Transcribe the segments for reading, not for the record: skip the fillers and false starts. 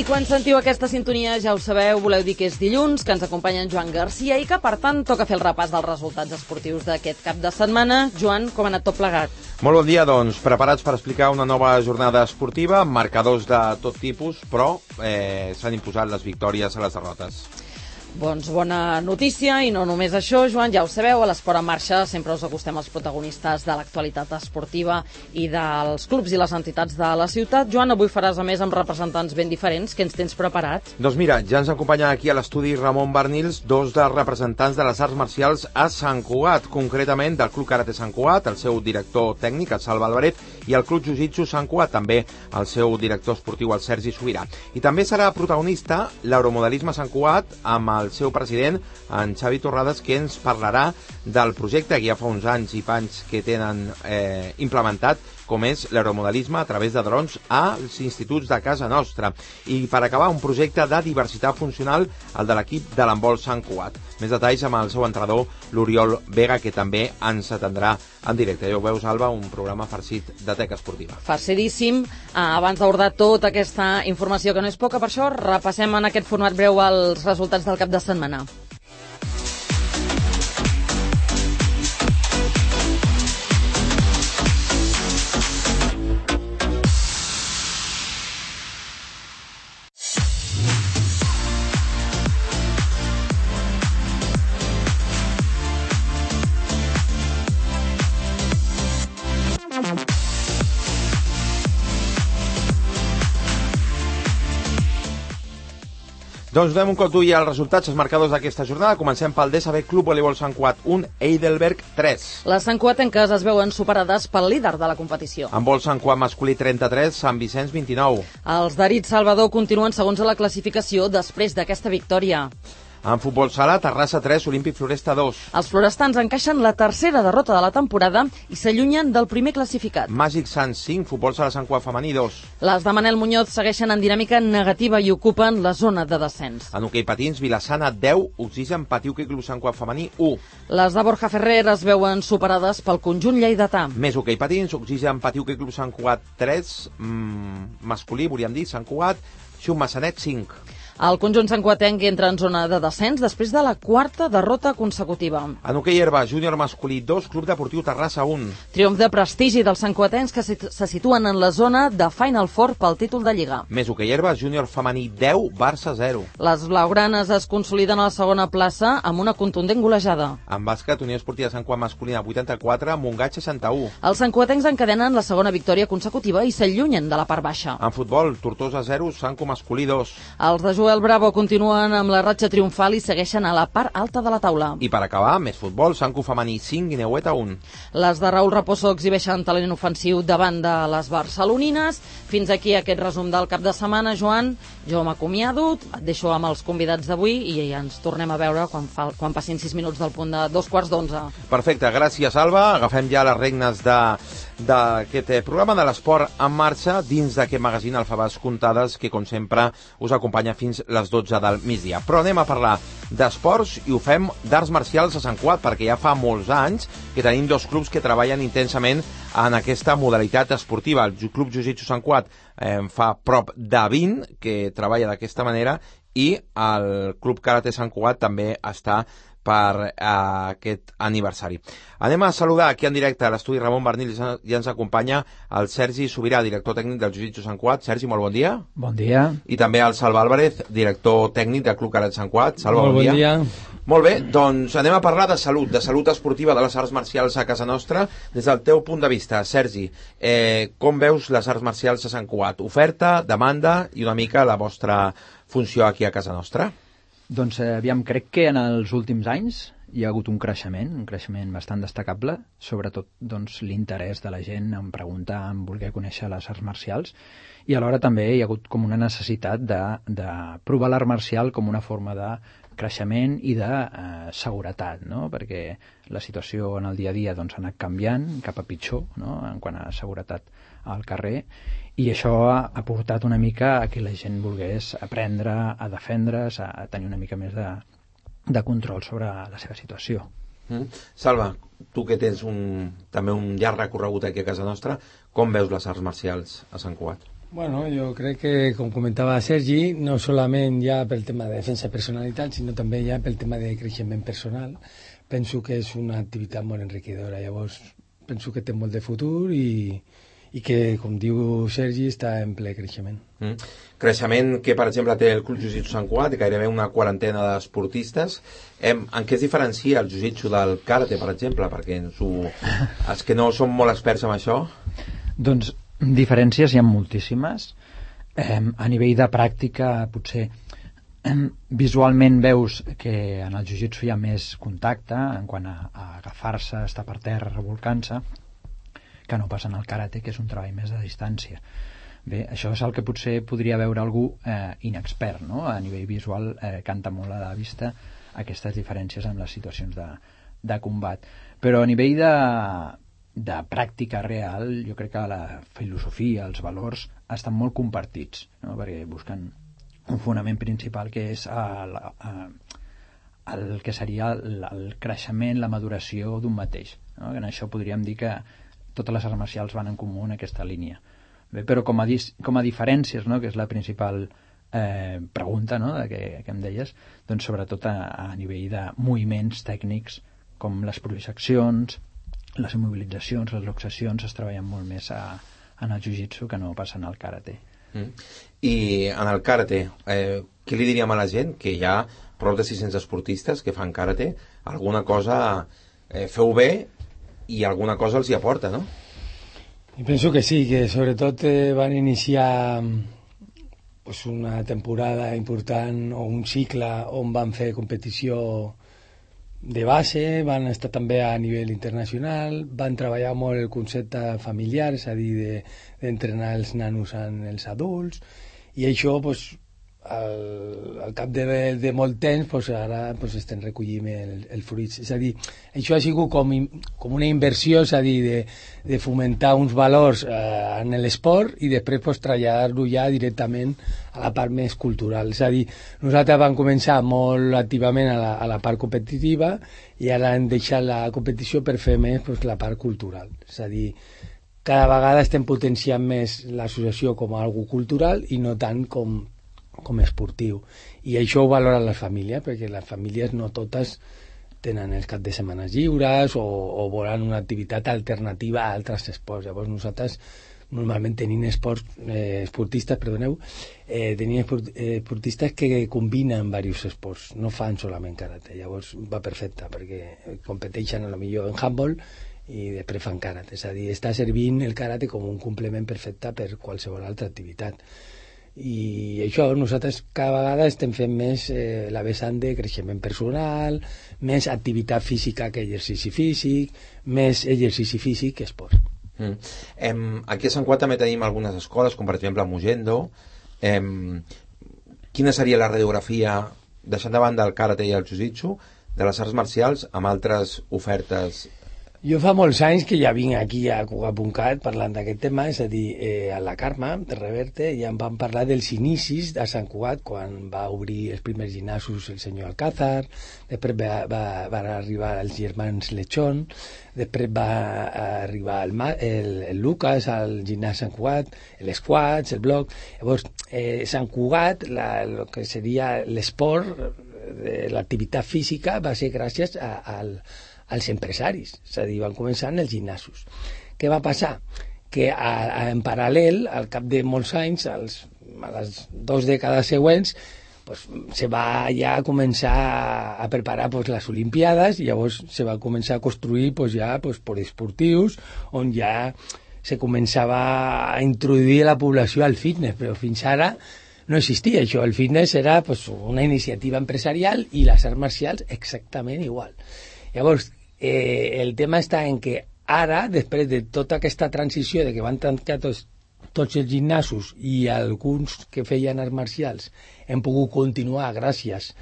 I quan sentiu aquesta sintonia, ja ho sabeu, voleu dir que és dilluns, que ens acompanya en Joan Garcia i que, per tant, toca fer el repàs dels resultats esportius d'aquest cap de setmana. Joan, com ha anat tot plegat? Molt bon dia, doncs. Preparats per explicar una nova jornada esportiva, amb marcadors de tot tipus, però s'han imposat les victòries a les derrotes. Doncs bona notícia, i no només això, Joan, ja ho sabeu, a l'Esport en Marxa sempre us acostem als protagonistes de l'actualitat esportiva i dels clubs i les entitats de la ciutat. Joan, avui faràs a més amb representants ben diferents. Què ens tens preparat? Doncs mira, ja ens acompanyen aquí a l'estudi Ramon Barnils, dos dels representants de les arts marcials a Sant Cugat, concretament del Club Karate Sant Cugat, el seu director tècnic, el Salva Álvarez, i el Club Jiu-Jitsu Sant Cugat, també el seu director esportiu, el Sergi Sobirà. I també serà protagonista l'Euromodelisme Sant Cugat, amb el seu president, en Xavi Torrades, que ens parlarà del projecte que ja fa uns anys i panys que tenen implementat, com és l'aeromodelisme a través de drons als instituts de casa nostra. I per acabar, un projecte de diversitat funcional, el de l'equip de l'handbol Sant Cugat. Més detalls amb el seu entrenador, l'Oriol Vega, que també ens atendrà en directe. Ja ho veus, Alba, un programa farcit de teca esportiva. Farcidíssim. Abans d'abordar tota aquesta informació, que no és poca, per això repassem en aquest format breu els resultats del cap de setmana. Doncs donem un cop d'ull als resultats, els marcadors d'aquesta jornada. Comencem pel DSB Club Voleibol Sant Cugat 1, Heidelberg 3. Les santcugatenques es veuen superades pel líder de la competició. Handbol Sant Cugat masculí 33, Sant Vicenç 29. Els d'Arit Salvador continuen segons a la classificació després d'aquesta victòria. En futbol sala, Terrassa 3, Olímpic Floresta 2. Els florestans encaixen la tercera derrota de la temporada i s'allunyen del primer classificat. Màgic Sant 5, futbol sala Sant Cugat femení 2. Les de Manel Muñoz segueixen en dinàmica negativa i ocupen la zona de descens. En hoquei patins, Vilassana 10, Oxigen Patiu Club Sant Cugat femení 1. Les de Borja Ferrer es veuen superades pel conjunt lleidatà. Més hoquei patins, Oxigen Patiu Club Sant Cugat 3, masculí, volíem dir, Sant Cugat, Xum Massanet 5. El conjunt santcugatenc entra en zona de descens després de la quarta derrota consecutiva. En hoquei herba, júnior masculí 2, Club Deportiu Terrassa 1. Triomf de prestigi dels santcugatencs que se situen en la zona de Final Four pel títol de Lliga. Més hoquei herba, júnior femení 10, Barça 0. Les blaugranes es consoliden a la segona plaça amb una contundent golejada. En bàsquet, Unió Esportiva Sant Cugat masculina 84, Montgat 61. Els santcugatencs encadenen la segona victòria consecutiva i s'allunyen de la part baixa. En futbol, Tortosa 0, Sanco masculí 2. Els de Joel Bravo continuen amb la ratxa triomfal i segueixen a la part alta de la taula. I per acabar, més futbol, Sanco femení 5, Guineueta 1. Les de Raül Raposo exhibeixen talent ofensiu davant de les barcelonines. Fins aquí aquest resum del cap de setmana, Joan. Jo m'acomiado, et deixo amb els convidats d'avui i ja ens tornem a veure quan passin 6 minuts del punt de 2:15. Perfecte, gràcies, Alba. Agafem ja les regnes d'aquest programa de l'Esport en Marxa dins d'aquest magazín Alfabets Comptades que, com sempre, us acompanya fins les 12 del migdia. Però anem a parlar d'esports i ho fem d'arts marcials a Sant Cugat, perquè ja fa molts anys que tenim dos clubs que treballen intensament en aquesta modalitat esportiva. El Club Jiu-Jitsu Sant Cugat fa prop de 20 que treballa d'aquesta manera i el Club Karate Sant Cugat també està per aquest aniversari. Anem a saludar aquí en directe a l'estudi Ramon Barnils, ja ens acompanya el Sergi Sobirà, director tècnic del Jiu-Jitsu Sant Cugat. Sergi, molt bon dia. Bon dia. I també el Salva Álvarez, director tècnic del Club Karate Sant Cugat. Salva, bon dia. Molt bé, doncs anem a parlar de salut esportiva de les arts marcials a casa nostra. Des del teu punt de vista, Sergi, com veus les arts marcials a Sant Cugat? Oferta, demanda i una mica la vostra funció aquí a casa nostra? Doncs aviam, crec que en els últims anys hi ha hagut un creixement bastant destacable, sobretot doncs, l'interès de la gent en preguntar, en voler conèixer les arts marcials, i alhora també hi ha hagut com una necessitat de provar l'art marcial com una forma de creixement i de seguretat, no? Perquè la situació en el dia a dia doncs, ha anat canviant cap a pitjor, no? En quant a seguretat al carrer, i això ha portat una mica a que la gent volgués aprendre a defendre's, a tenir una mica més de control sobre la seva situació. Salva, tu que tens també un llarg recorregut aquí a casa nostra, com veus les arts marcials a Sant Cugat? Bueno, jo crec que, com comentava Sergi, no solament ja pel tema de defensa personal i tal, sinó també ja pel tema de creixement personal. Penso que és una activitat molt enriquidora. Llavors, penso que té molt de futur i que, com diu Sergi, està en ple creixement. Creixement que, per exemple, té el Club Jiu-Jitsu Sant Cugat, gairebé una quarantena d'esportistes. En què es diferencia el Jiu-Jitsu del karate, per exemple? Perquè els que no som molt experts en això... Doncs diferències hi ha moltíssimes. A nivell de pràctica, potser visualment veus que en el jiu-jitsu hi ha més contacte en quant a agafar-se, estar per terra, revolcant-se, que no passa en el karate, que és un treball més de distància. Bé, això és el que potser podria veure algú inexpert, no? A nivell visual canta molt a la vista aquestes diferències en les situacions de combat. Però a nivell de pràctica real, jo crec que la filosofia, els valors estan molt compartits, no? Perquè busquen un fonament principal que és el que seria el creixement, la maduració d'un mateix, no? En això podríem dir que totes les arts marcials van en comú en aquesta línia. Bé, però com a diferències, no? Que és la principal pregunta, no? que em deies, doncs sobretot a nivell de moviments tècnics com les projeccions, les immobilitzacions, les luxacions es treballen molt més en el jiu-jitsu que no passa en el karate. I en el karate, què li diríem a la gent? Que hi ha prop de 600 esportistes que fan karate, alguna cosa feu bé i alguna cosa els hi aporta, no? I penso que sí, que sobretot van iniciar pues, una temporada important o un cicle on van fer competició de base, van estar també a nivell internacional, van treballar molt el concepte familiar, és a dir, d'entrenar els nanos en els adults, i això, pues, al cap de molt temps, pues, ara pues, estem recollint el fruit. És a dir, això ha sigut com una inversió, és a dir, de fomentar uns valors en l'esport i després pues, traslladar-lo ja directament a la part més cultural. És a dir, nosaltres vam començar molt activament a la part competitiva i ara hem deixat la competició per fer més pues, la part cultural. És a dir, cada vegada estem potenciant més l'associació com a algo cultural i no tant com esportiu, i això ho valoren les famílies, perquè les famílies no totes tenen els caps de setmana lliures o volen una activitat alternativa a altres esports. Llavors nosaltres normalment tenim esportistes que combinen diversos esports, no fan solament karate. Llavors va perfecte, perquè competeixen a lo millor en handball i després fan karate, és a dir, està servint el karate com un complement perfecte per qualsevol altra activitat. I això, nosaltres cada vegada estem fent més la vessant de creixement personal, més activitat física que exercici físic, més exercici físic que esport. Aquí a Sant Cugat també tenim algunes escoles, com per exemple a Mugendo. Quina seria la radiografia, deixant de banda el karate i el jiu-jitsu, de les arts marcials amb altres ofertes? Jo fa molts anys que ja vinc aquí a Cugat.cat parlant d'aquest tema, és a dir, a la Carme de Reverte ja em van parlar dels inicis de Sant Cugat quan va obrir els primers gimnasos el senyor Alcázar, després van arribar els germans Lechón, després va arribar el Lucas al gimnàs Sant Cugat, l'Squats, el Bloc. Llavors, Sant Cugat, el que seria l'esport, l'activitat física, va ser gràcies als empresaris, és a dir, van començar en els gimnasos. Què va passar? Que en paral·lel, al cap de molts anys, a les 2 dècades següents, pues, se va ja començar a preparar pues, les Olimpiades, i llavors se va començar a construir pues, ja pues, poliesportius, on ja se començava a introduir a la població al fitness, però fins ara no existia això. El fitness era pues, una iniciativa empresarial i les arts marcials exactament igual. Llavors, el tema està en que ara, després de tota aquesta transició de que van tancar tots els gimnasos i alguns que feien arts marcials hem pogut continuar gràcies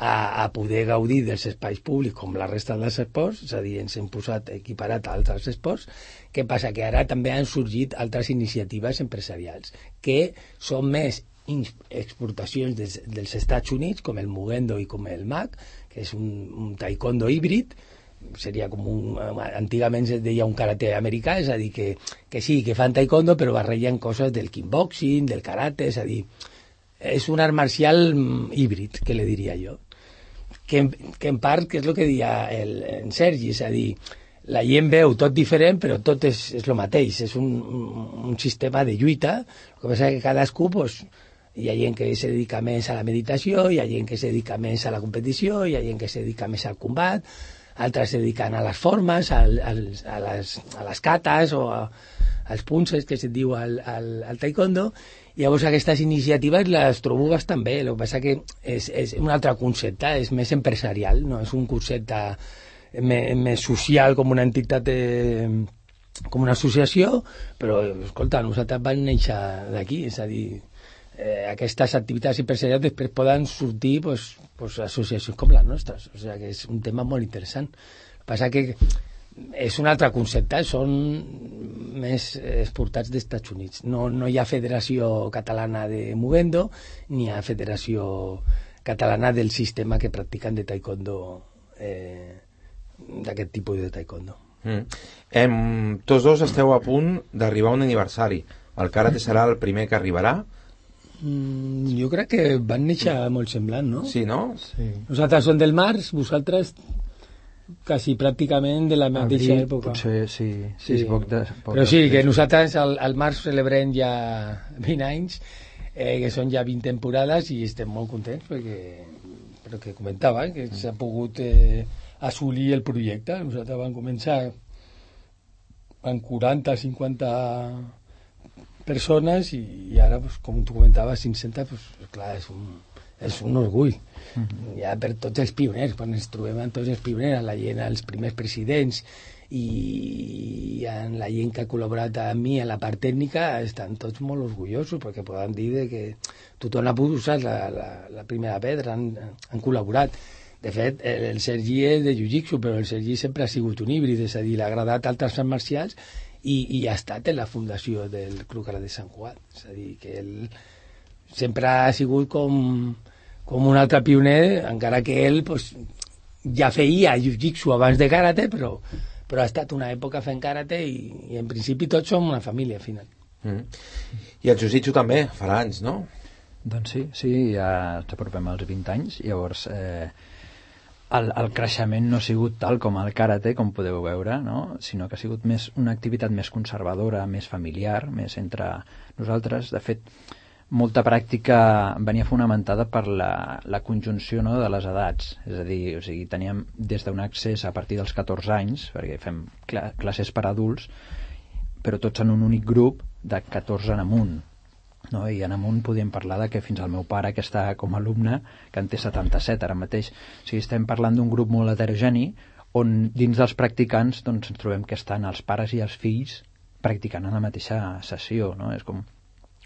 a poder gaudir dels espais públics com la resta dels esports, és a dir, ens hem posat equiparat a altres esports. Què passa? Que ara també han sorgit altres iniciatives empresarials que són més exportacions dels Estats Units, com el Mugendo i com el MAC, que és un taekwondo híbrid, seria com antigament es deia un karate americà, és a dir, que sí, que fan taekwondo, però barregen coses del kickboxing, del karate, és a dir, és un art marcial híbrid, que le diria jo. Que en part, que és el que deia en Sergi, és a dir, la gent veu tot diferent, però tot és el mateix, és un sistema de lluita, el que passa que cadascú, pues, hi ha gent que se dedica més a la meditació, hi ha gent que se dedica més a la competició, hi ha gent que se dedica més al combat, altres se dediquen a les formes, a les katas o als punces, que se'n diu al taekwondo. Llavors aquestes iniciatives les trobo bastant bé, el que passa que és un altre concepte, és més empresarial, no és un concepte més social, com una entitat, com una associació, però, escolta, nosaltres vam néixer d'aquí, és a dir, aquestes activitats empresarials després poden sortir pues, associacions com les nostres, o sigui que és un tema molt interessant. El que passa que és un altre concepte, són més exportats dels Estats Units. No hi ha Federació Catalana de Movendo ni hi ha Federació Catalana del sistema que practiquen de taekwondo, d'aquest tipus de taekwondo. Tots dos esteu a punt d'arribar a un aniversari. El karate serà el primer que arribarà? Jo crec que van néixer molt semblant, no? Sí, no? Sí. Nosaltres som del març, vosaltres quasi pràcticament de la mateixa època. Potser sí. Però sí, que nosaltres al març celebrem ja 20 anys, que són ja 20 temporades i estem molt contents perquè que comentava, que s'ha pogut assolir el projecte. Nosaltres vam començar amb 40-50 persones i ara, pues, com tu comentaves, 500, pues, clar, és un orgull. Ja per tots els pioners, quan ens trobem amb tots els pioners, la gent, els primers presidents i en la gent que ha col·laborat amb mi en la part tècnica, estan tots molt orgullosos perquè poden dir que tothom ha pogut usar la primera pedra, han col·laborat. De fet, el Sergi és de Jiu-Jitsu, però el Sergi sempre ha sigut un híbrid, és a dir, l'ha agradat altres arts marcials i ha estat en la fundació del Club Karate Sant Cugat. És a dir, que ell sempre ha sigut com un altre pioner, encara que ell pues, ja feia jiu-jitsu abans de karate, però ha estat una època fent karate i en principi tots som una família al final. I el jiu-jitsu també farà anys, no? Doncs sí, ja ens apropem als 20 anys, llavors el creixement no ha sigut tal com el karate, com podeu veure, no? Sinó que ha sigut més una activitat més conservadora, més familiar, més entre nosaltres. De fet, molta pràctica venia fonamentada per la conjunció, no, de les edats. És a dir, o sigui, teníem des d'un accés a partir dels 14 anys, perquè fem classes per adults, però tots en un únic grup de 14 en amunt. No? I en amunt podíem parlar de que fins al meu pare, que està com a alumne, que en té 77 ara mateix. O sigui, estem parlant d'un grup molt heterogeni on dins dels practicants doncs, ens trobem que estan els pares i els fills practicant en la mateixa sessió, no? És com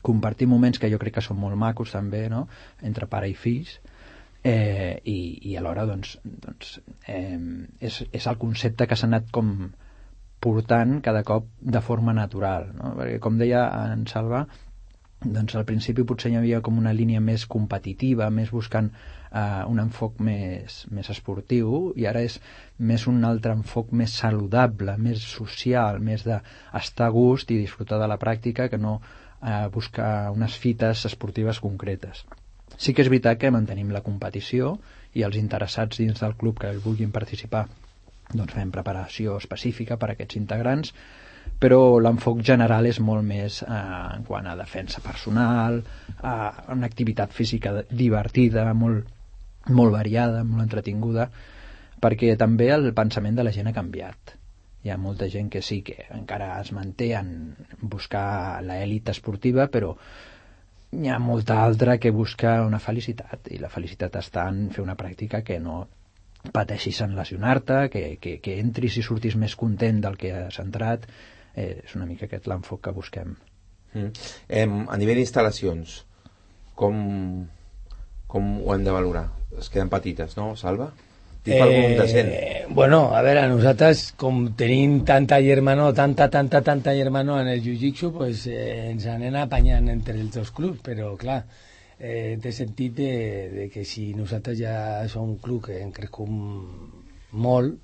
compartir moments que jo crec que són molt macos també, no? Entre pare i fills, i alhora doncs, és el concepte que s'ha anat com portant cada cop de forma natural, no? Perquè com deia en Salva, doncs al principi potser hi havia com una línia més competitiva, més buscant un enfoc més esportiu, i ara és més un altre enfoc més saludable, més social, més d'estar a gust i disfrutar de la pràctica que no buscar unes fites esportives concretes. Sí que és veritat que mantenim la competició i els interessats dins del club que vulguin participar doncs fem preparació específica per a aquests integrants, però l'enfoc general és molt més en quant a defensa personal, a una activitat física divertida, molt variada, molt entretinguda, perquè també el pensament de la gent ha canviat. Hi ha molta gent que sí que encara es manté en buscar l'elit esportiva, però hi ha molta altra que busca una felicitat, i la felicitat està en fer una pràctica que no pateixis en lesionar-te, que entris i surtis més content del que has entrat. És una mica aquest l'enfoc que busquem. A nivell d'instal·lacions, com ho hem de valorar? Es queden petites, no, Salva? Bueno, a veure, nosaltres com tenim tanta germanor en el jiu-jitsu, pues, ens anem apanyant entre els dos clubs, però clar, té sentit de que si nosaltres ja som un club que hem crescut molt,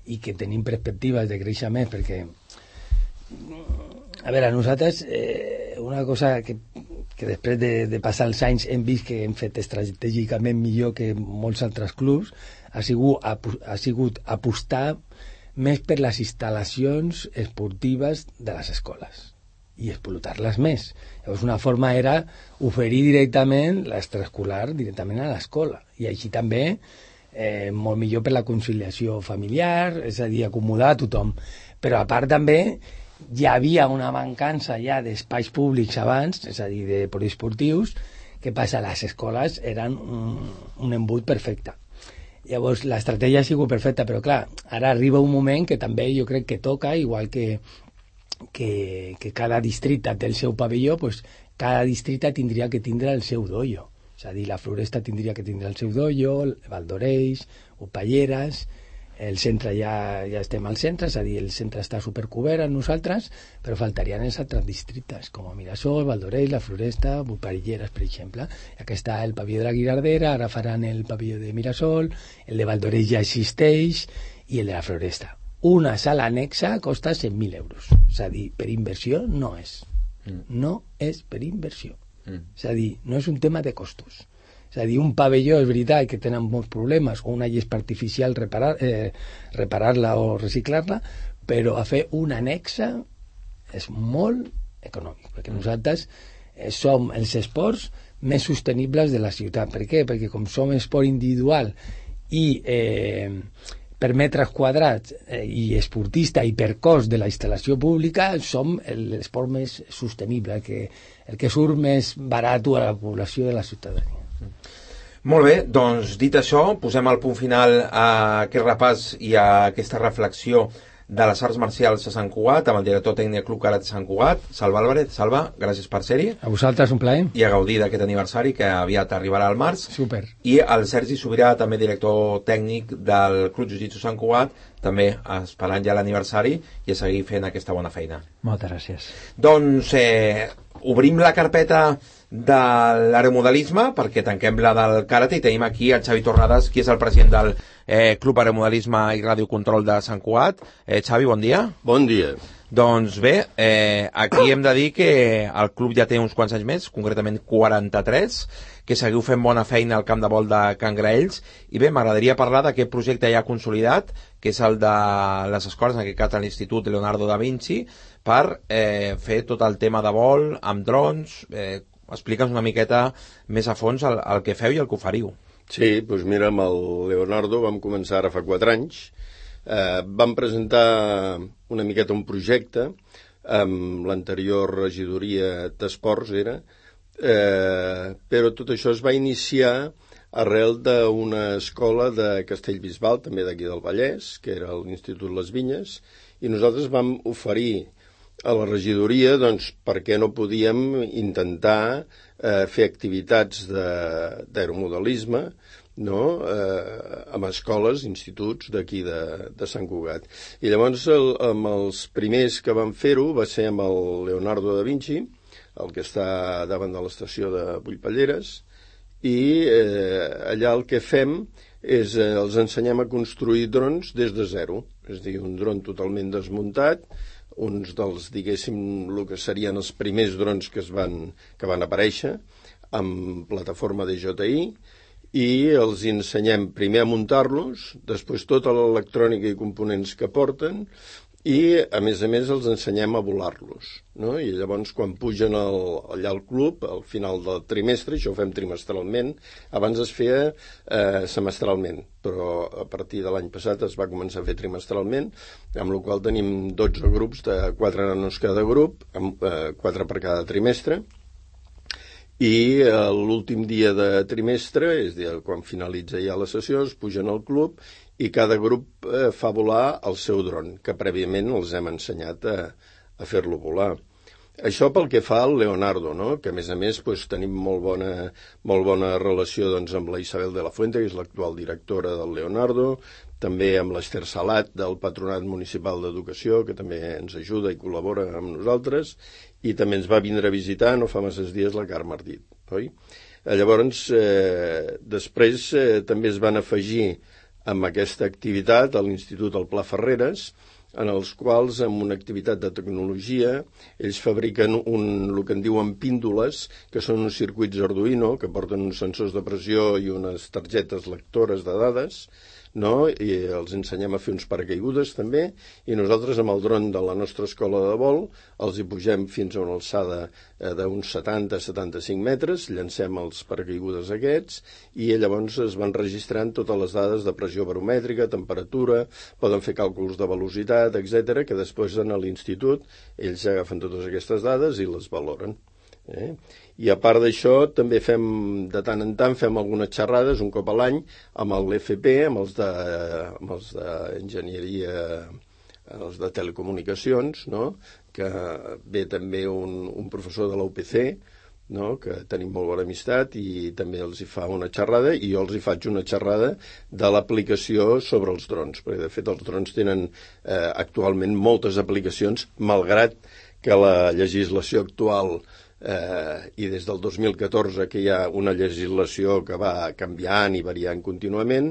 i que tenim perspectives de creixement, perquè a veure, nosaltres una cosa que després de passar els anys hem vist que hem fet estratègicament millor que molts altres clubs ha sigut apostar més per les instal·lacions esportives de les escoles i explotar-les més. Llavors una forma era oferir directament l'extraescolar directament a l'escola, i així també molt millor per la conciliació familiar, és a dir, acomodar a tothom. Però a part també hi havia una mancança ja d'espais públics abans, és a dir, de poliesportius. Què passa? Les escoles eren un embut perfecte. Llavors l'estratègia ha sigut perfecta, però clar, ara arriba un moment que també jo crec que toca, igual que cada districte té el seu pavelló, doncs cada districte tindria que tindre el seu dojo. És a dir, la Floresta tindria que tindre el seu dojo, Valdoreix, Upalleres, el centre ja estem al centre, és a dir, el centre està supercobert amb nosaltres, però faltarien els altres districtes, com Mirasol, Valdoreix, la Floresta, Upalleres, per exemple. Aquí està el pavelló de la Guirardera, ara faran el pavelló de Mirasol, el de Valdoreix ja existeix, i el de la Floresta. Una sala anexa costa 100.000 euros. És a dir, per inversió no és. No és per inversió. És a dir, no és un tema de costos. És a dir, un pavelló és veritat que tenen molts problemes, o una llespa artificial reparar-la o reciclar-la, però a fer una anexa és molt econòmic, perquè nosaltres som els esports més sostenibles de la ciutat. Per què? Perquè com som esport individual i per metres quadrats i esportista i per cost de la instal·lació pública, som l'esport més sostenible, el que surt més barat a la població de la ciutadania. Molt bé, doncs dit això, posem el punt final a aquest repàs i a aquesta reflexió de les arts marcials a Sant Cugat, amb el director tècnic del Club Karate Sant Cugat, Salva Álvarez. Salva, gràcies per ser-hi. A vosaltres, un plaer. I a gaudir d'aquest aniversari que aviat arribarà al març. Super. I el Sergi Sobirà, també director tècnic del Club Jiu-Jitsu Sant Cugat, també esperant ja l'aniversari i a seguir fent aquesta bona feina. Moltes gràcies. Doncs obrim la carpeta de l'aeromodelisme perquè tanquem la del karate i tenim aquí el Xavi Torrades, qui és el president del Club Aeromodelisme i Radiocontrol de Sant Cugat. Xavi, bon dia. Bon dia. Doncs bé, aquí hem de dir que el club ja té uns quants anys més, concretament 43, que seguiu fent bona feina al camp de vol de Can Graells, i bé, m'agradaria parlar d'aquest projecte ja consolidat, que és el de les escoles, en aquest cas de l'Institut Leonardo da Vinci, per fer tot el tema de vol amb drons. Explica'ns una miqueta més a fons el que feu i el que oferiu. Sí, doncs mira, amb el Leonardo vam començar ara fa 4 anys. Vam presentar una miqueta un projecte amb l'anterior regidoria d'esports, però tot això es va iniciar arrel d'una escola de Castellbisbal, també d'aquí del Vallès, que era l'Institut Les Vinyes, i nosaltres vam oferir a la regidoria, doncs, per què no podíem intentar fer activitats d'aeromodelisme, no? Amb escoles, instituts d'aquí de Sant Cugat. I llavors amb els primers que van fer-ho va ser amb el Leonardo da Vinci, el que està davant de l'estació de Bullpalleres, i allà el que fem és els ensenyem a construir drons des de zero, és a dir, un dron totalment desmuntat, uns dels, diguéssim, el que serien els primers drons que van aparèixer amb plataforma DJI, i els ensenyem primer a muntar-los, després tota l'electrònica i components que porten, i a més els ensenyem a volar-los, no? I llavors quan pugen allà al club al final del trimestre, això ho fem trimestralment, abans es feia semestralment, però a partir de l'any passat es va començar a fer trimestralment, amb la qual tenim 12 grups de 4 nanos cada grup, 4 per cada trimestre, i l'últim dia de trimestre, és a dir, quan finalitza ja la sessió, es pugen al club i cada grup fa volar el seu dron, que prèviament els hem ensenyat a fer-lo volar. Això pel que fa al Leonardo, no? Que a més doncs, tenim molt bona relació doncs, amb la Isabel de la Fuente, que és l'actual directora del Leonardo, també amb l'Ester Salat del Patronat Municipal d'Educació, que també ens ajuda i col·labora amb nosaltres, i també ens va vindre a visitar no fa masses dies la Carme Ardit, oi? Llavors, després també es van afegir amb aquesta activitat a l'Institut del Pla Ferreres, en els quals, amb una activitat de tecnologia, ells fabriquen el que en diuen píndoles, que són uns circuits Arduino, que porten uns sensors de pressió i unes targetes lectores de dades, no? I els ensenyem a fer uns paracaigudes també, i nosaltres amb el dron de la nostra escola de vol els hi pugem fins a una alçada d'uns 70-75 metres, llancem els paracaigudes aquests i llavors es van registrant totes les dades de pressió baromètrica, temperatura, poden fer càlculs de velocitat, etc, que després en l'institut ells agafen totes aquestes dades i les valoren. I a part d'això també de tant en tant fem algunes xerrades un cop a l'any amb l'FP, amb els d'enginyeria, els de telecomunicacions, no? Que ve també un professor de la UPC, no? Que tenim molt bona amistat i també els hi fa una xerrada i jo els hi faig una xerrada de l'aplicació sobre els drons, perquè de fet els drons tenen actualment moltes aplicacions, malgrat que la legislació actual i des del 2014 que hi ha una legislació que va canviant i variant contínuament,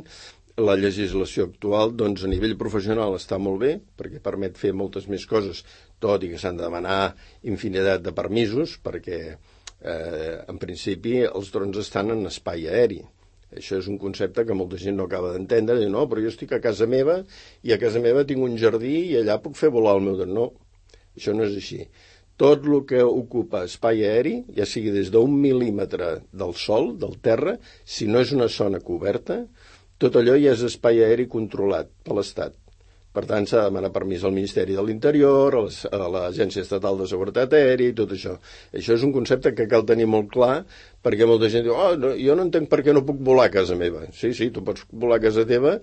la legislació actual doncs, a nivell professional està molt bé perquè permet fer moltes més coses, tot i que s'han de demanar infinitat de permisos perquè en principi els drons estan en espai aeri. Això és un concepte que molta gent no acaba d'entendre, diu, no, però jo estic a casa meva i a casa meva tinc un jardí i allà puc fer volar el meu dron. No, això no és així. Tot el que ocupa espai aeri, ja sigui des d'un mil·límetre del sol, del terra, si no és una zona coberta, tot allò ja és espai aeri controlat per l'Estat. Per tant, s'ha de demanar permís al Ministeri de l'Interior, a l'Agència Estatal de Seguretat Aèria i tot això. Això és un concepte que cal tenir molt clar, perquè molta gent diu, no, jo no entenc per què no puc volar a casa meva. Sí, tu pots volar a casa teva,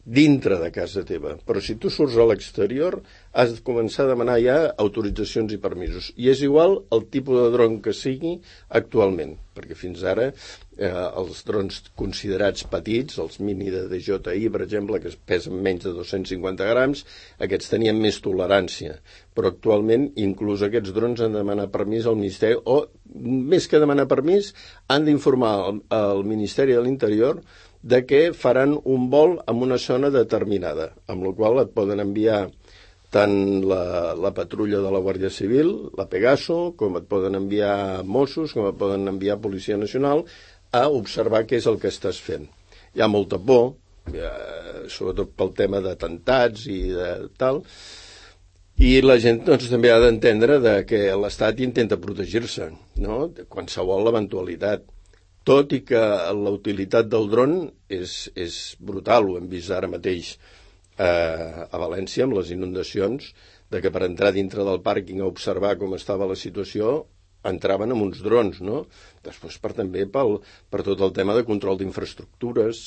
dintre de casa teva, però si tu surts a l'exterior has de començar a demanar ja autoritzacions i permisos, i és igual el tipus de dron que sigui actualment, perquè fins ara els drons considerats petits, els mini de DJI, per exemple, que pesen menys de 250 grams, aquests tenien més tolerància, però actualment inclús aquests drons han de demanar permís al Ministeri, o més que demanar permís, han d'informar al Ministeri de l'Interior de que faran un vol en una zona determinada, amb la qual et poden enviar tant la patrulla de la Guàrdia Civil, la Pegaso, com et poden enviar Mossos, com et poden enviar Policia Nacional, a observar què és el que estàs fent. Hi ha molta por, sobretot pel tema d'atemptats i de tal, i la gent doncs, també ha d'entendre que l'Estat intenta protegir-se, no? De qualsevol eventualitat. Tot i que la utilitat del dron és brutal, ho hem vist ara mateix a València amb les inundacions, de que per entrar dintre del pàrquing a observar com estava la situació entraven amb uns drons, no? Després també per tot el tema de control d'infraestructures,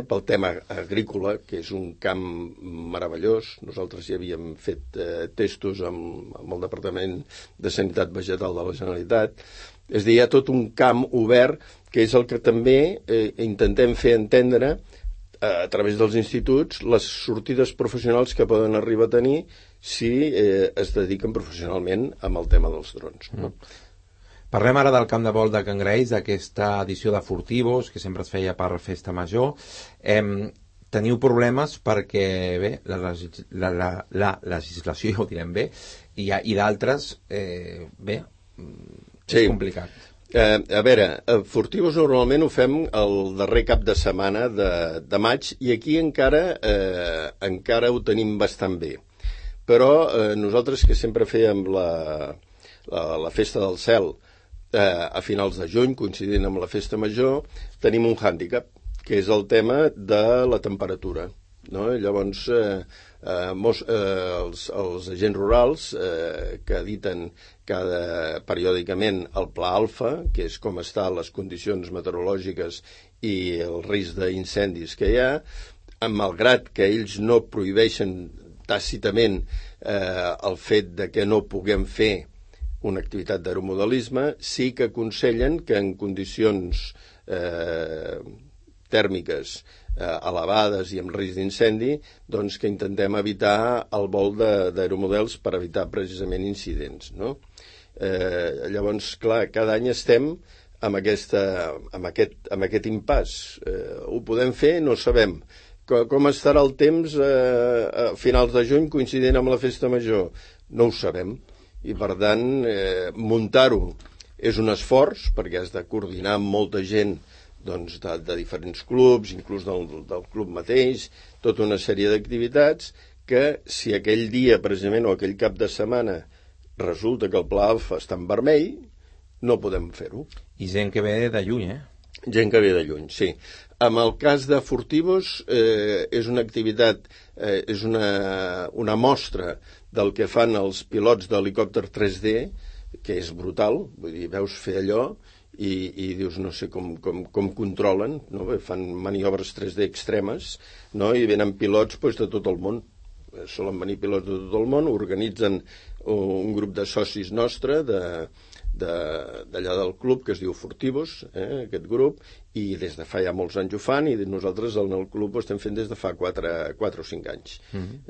pel tema agrícola, que és un camp meravellós. Nosaltres ja havíem fet testos amb el Departament de Sanitat Vegetal de la Generalitat. És a dir, hi ha tot un camp obert que és el que també intentem fer entendre a través dels instituts les sortides professionals que poden arribar a tenir si es dediquen professionalment amb el tema dels drons. No? Parlem ara del camp de vol de Can Graells, d'aquesta edició de Furtivos, que sempre es feia per Festa Major. Teniu problemes perquè, bé, la legislació, ja ho direm bé, i d'altres, bé, és complicat. A veure, Furtivos normalment ho fem el darrer cap de setmana de maig i aquí encara ho tenim bastant bé. Però nosaltres que sempre fèiem la Festa del Cel a finals de juny, coincidint amb la Festa Major, tenim un hàndicap, que és el tema de la temperatura. No? Llavors, els agents rurals que editen periòdicament el Pla Alfa, que és com estan les condicions meteorològiques i el risc d'incendis que hi ha, malgrat que ells no prohibeixen tàcitament el fet de que no puguem fer una activitat d'aeromodelisme, sí que aconsellen que en condicions tèrmiques elevades i amb risc d'incendi, doncs que intentem evitar el vol d'aeromodels per evitar precisament incidents. No? Llavors, clar, cada any estem amb aquest impàs. Ho podem fer? No sabem. Com estarà el temps a finals de juny coincidint amb la festa major? No ho sabem. I, per tant, muntar-ho és un esforç, perquè has de coordinar amb molta gent doncs, de diferents clubs, inclús del club mateix, tota una sèrie d'activitats que si aquell dia, precisament, o aquell cap de setmana resulta que el Pla Alfa està en vermell, no podem fer-ho. I gent que ve de lluny, Gent que ve de lluny, sí. En el cas de Furtivos és una activitat, és una mostra del que fan els pilots d'helicòpter 3D, que és brutal, vull dir, veus fer allò i dius, no sé com controlen, no? Fan maniobres 3D extremes, no? I venen pilots de tot el món. Solen venir pilots de tot el món, organitzen un grup de socis nostre d'allà del club que es diu Furtivos, aquest grup, i des de fa ja molts anys ho fan, i nosaltres en el club ho estem fent des de fa 4 o 5 anys.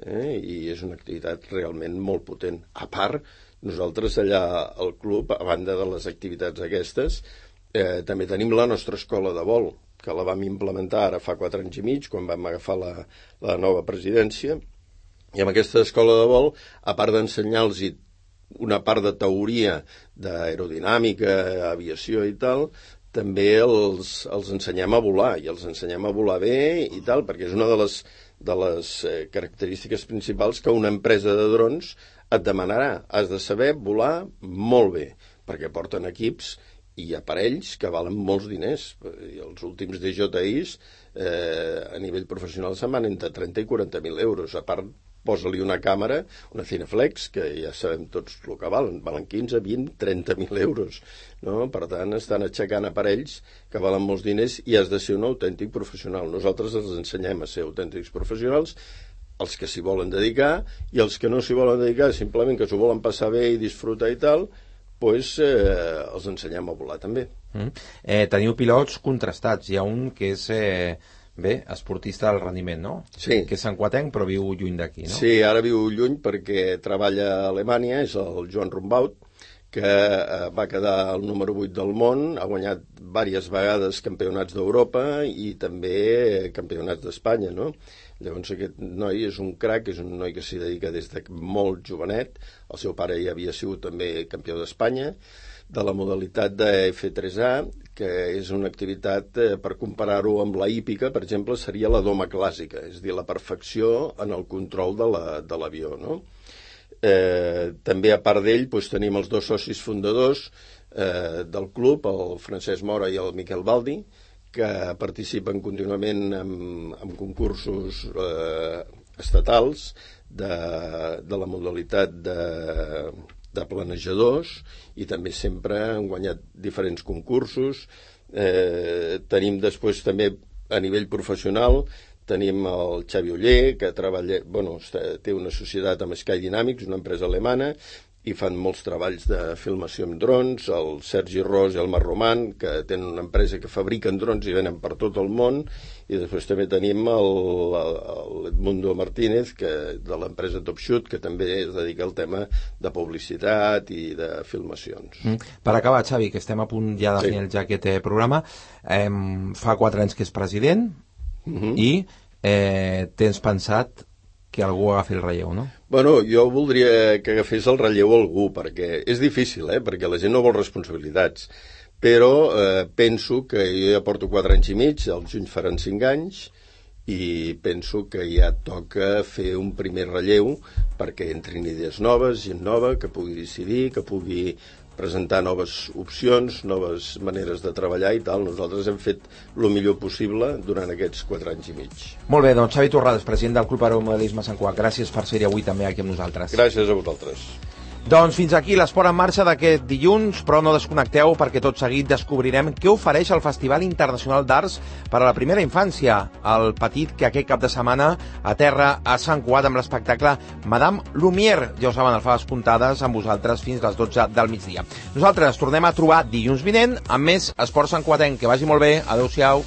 I és una activitat realment molt potent. A part, nosaltres allà al club, a banda de les activitats aquestes, també tenim la nostra escola de vol, que la vam implementar ara fa 4 anys i mig, quan vam agafar la nova presidència. I amb aquesta escola de vol, a part d'ensenyar-los una part de teoria d'aerodinàmica, aviació i tal, també els ensenyem a volar, i els ensenyem a volar bé i tal, perquè és una de les característiques principals que una empresa de drons et demanarà. Has de saber volar molt bé, perquè porten equips i aparells que valen molts diners. I els últims DJIs a nivell professional se'n van entre 30 i 40.000 euros. A part, posa-li una càmera, una Cineflex, que ja sabem tots el que valen 15, 20, 30.000 euros. No? Per tant, estan aixecant aparells que valen molts diners i has de ser un autèntic professional. Nosaltres els ensenyem a ser autèntics professionals, els que s'hi volen dedicar, i els que no s'hi volen dedicar, simplement que s'ho volen passar bé i disfrutar i tal, doncs els ensenyem a volar també. Teniu pilots contrastats. Hi ha un que és esportista del rendiment, no? Sí. Que és santcuatenc però viu lluny d'aquí, no? Sí, ara viu lluny perquè treballa a Alemanya, és el Joan Rumbaut, que va quedar el número 8 del món, ha guanyat diverses vegades campionats d'Europa i també campionats d'Espanya, no? Llavors aquest noi és un crac, és un noi que s'hi dedica des de molt jovenet, el seu pare ja havia sigut també campió d'Espanya, de la modalitat de F3A, que és una activitat, per comparar-ho amb la hípica, per exemple, seria la doma clàssica, és a dir, la perfecció en el control de l'avió, no? També a part d'ell tenim els 2 socis fundadors del club, el Francesc Mora i el Miquel Baldi, que participen contínuament en concursos estatals de la modalitat de planejadors, i també sempre han guanyat diferents concursos. Tenim després també a nivell professional, tenim el Xavi Oller, que té una societat amb Sky Dynamics, una empresa alemana, i fan molts treballs de filmació amb drons, el Sergi Ros i el Marc Roman, que tenen una empresa que fabriquen drons i venen per tot el món, i després també tenim l'Edmundo Martínez, de l'empresa Top Shoot, que també es dedica al tema de publicitat i de filmacions. Per acabar, Xavi, que estem a punt ja de finalitzar ja aquest programa, fa 4 anys que és president i tens pensat que algú agafi el relleu, no? Bueno, jo voldria que agafés el relleu algú, perquè és difícil, perquè la gent no vol responsabilitats, però penso que jo ja porto 4 anys i mig, al juny faran 5 anys, i penso que ja toca fer un primer relleu perquè entrin idees noves, gent nova, que pugui decidir, que pugui presentar noves opcions, noves maneres de treballar i tal. Nosaltres hem fet el millor possible durant aquests 4 anys i mig. Molt bé, doncs Xavi Torrades, president del Club Aeromodelisme Sant Cugat, gràcies per ser-hi avui també aquí amb nosaltres. Gràcies a vosaltres. Doncs fins aquí l'Esport en Marxa d'aquest dilluns, però no desconnecteu perquè tot seguit descobrirem què ofereix el Festival Internacional d'Arts per a la primera infància, el petit que aquest cap de setmana aterra a Sant Cugat amb l'espectacle Madame Lumière. Ja ho saben, alfabes comptades amb vosaltres fins a les 12 del migdia. Nosaltres tornem a trobar dilluns vinent amb més Esport Santcuatenc. Que vagi molt bé. Adéu-siau.